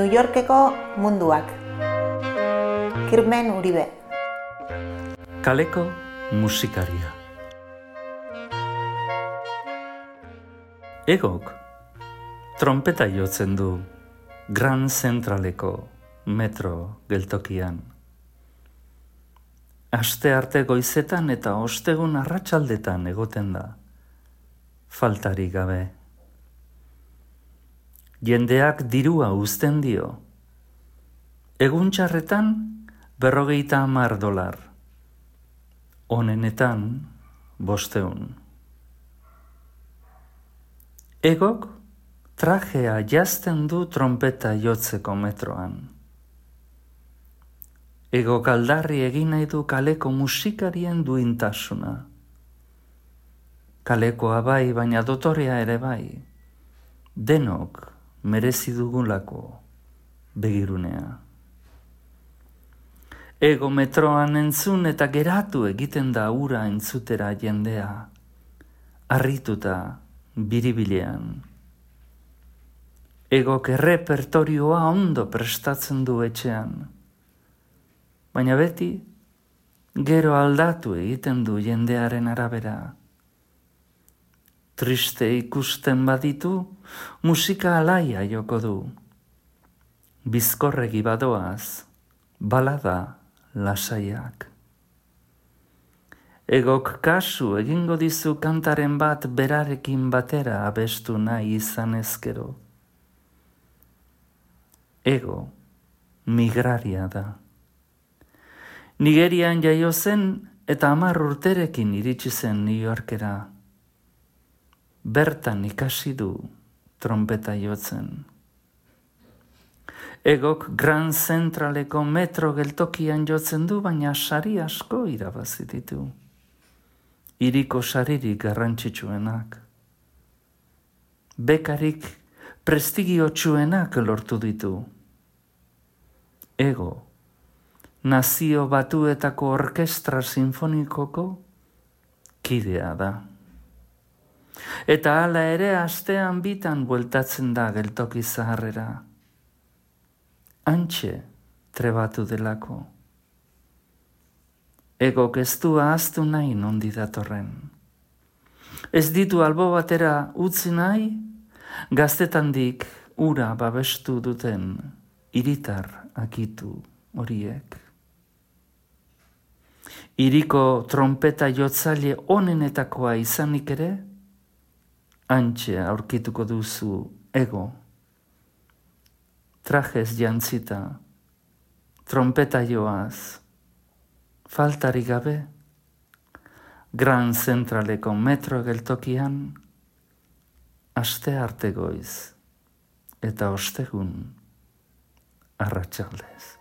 New Yorkeko munduak. Kirmen Uribe. Kaleko musikaria. Egok trompeta jotzen du Grand Centraleko metro geltokian. Astearte goizetan eta ostegun arratsaldetan egoten da, faltarik gabe. Jendeak dirua uzten dio. Egun txarretan $50. Onenetan 500. Egok trajea jazten du trompeta jotzeko metroan. Egok aldarri egin nahi du kaleko musikarien duintasuna. Kalekoa bai, baina dotorea ere bai. Denok merezi dugulako begirunea. Ego metroan entzun eta geratu egiten da ura entzutera jendea, harrituta biribilean. Egok errepertorioa ondo prestatzen du etxean, baina beti gero aldatu egiten du jendearen arabera. Triste ikusten baditu, musika alaia joko du. Bizkorregi badoaz, balada lasaiak. Egok kasu egingo dizu kantaren bat berarekin batera abestu nahi izan ezkero. Ego migraria da. Nigerian jaio zen eta 10 urterekin iritsi zen New Yorkera. Bertan ikasi du trompeta jotzen. Egok Grand Centraleko metro geltokian jotzen du, baina sari asko irabazi ditu. Hiriko saririk garrantzitsuenak. Bekarik prestigiotsuenak lortu ditu. Ego, Nazio Batuetako Orkestra Sinfonikoko kidea da. Eta hala ere astean bitan bueltatzen da geltoki zaharrera. Antxe trebatu delako. Egok ez du ahaztu nahi nondi datorren. Ez ditu albo batera utzi nahi, gaztetandik ura babestu duten hiritar akitu horiek. Hiriko trompeta jotzaile onenetakoa izanik ere, antxe aurkituko duzu ego. Trajez jantzita, trompeta joaz, faltarik gabe, Grand Centraleko metro geltokian, aste arte goiz eta ostegun arratsaldez.